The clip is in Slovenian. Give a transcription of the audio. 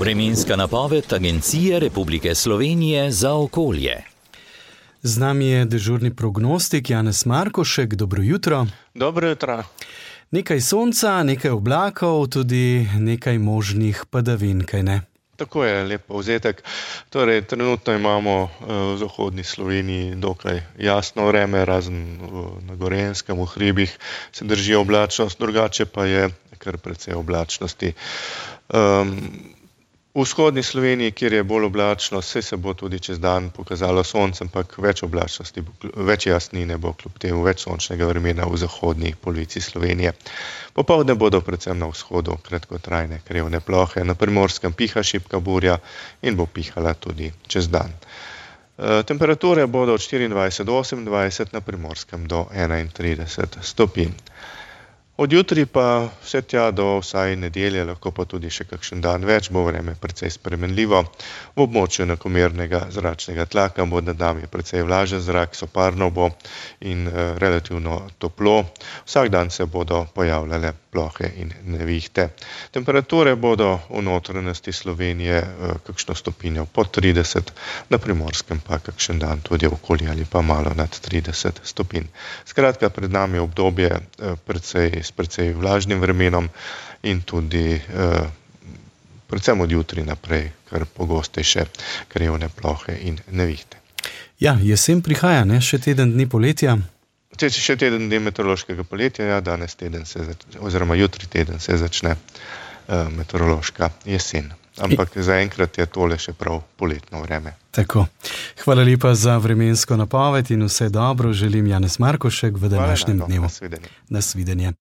Vremenska napoved Agencije Republike Slovenije za okolje. Z nami je dežurni prognostik Janez Markošek. Dobro jutro. Dobro jutro. Nekaj sonca, nekaj oblakov, tudi nekaj možnih padavin, kaj ne? Tako je, lep povzetek. Torej, trenutno imamo v zahodni Sloveniji dokaj jasno vreme, razen na Gorenjskem, v hribih se drži oblačnost, drugače pa je kar precej oblačnosti. V vzhodni Sloveniji, kjer je bolj oblačno, se bo tudi čez dan pokazalo sonce, ampak več oblačnosti, več jasnine bo kljub temu, več sončnega vremena v zahodni polovici Slovenije. Popoldne bodo predvsem na vzhodu kratkotrajne krevne plohe, na Primorskem piha šibka burja in bo pihala tudi čez dan. Temperature bodo od 24 do 28, na Primorskem do 31 stopinj. Od jutri pa vse tja do vsaj nedelje, lahko pa tudi še kakšen dan več, bo vreme precej spremenljivo. V območju enakomernega zračnega tlaka bo nad nami precej vlažen zrak, soparno bo in relativno toplo. Vsak dan se bodo pojavljale plohe in nevihte. Temperature bodo v notranjosti Slovenije kakšno stopinjo pod 30, na Primorskem pa kakšen dan tudi okoli ali pa malo nad 30 stopinj. Skratka, pred nami je obdobje s precej vlažnim vremenom in tudi predvsem od jutri naprej kar pogostejše krevne plohe in nevihte. Ja, jesen prihaja, ne? Še teden dni poletja. Še teden dni meteorološkega poletja, ja, danes teden oziroma jutri teden se začne meteorološka jesen. Ampak zaenkrat je tole še prav poletno vreme. Tako. Hvala lepa za vremensko napoved in vse dobro želim, Janez Markošek, v današnjem dnevu. Nasvidenje. Nasvidenje.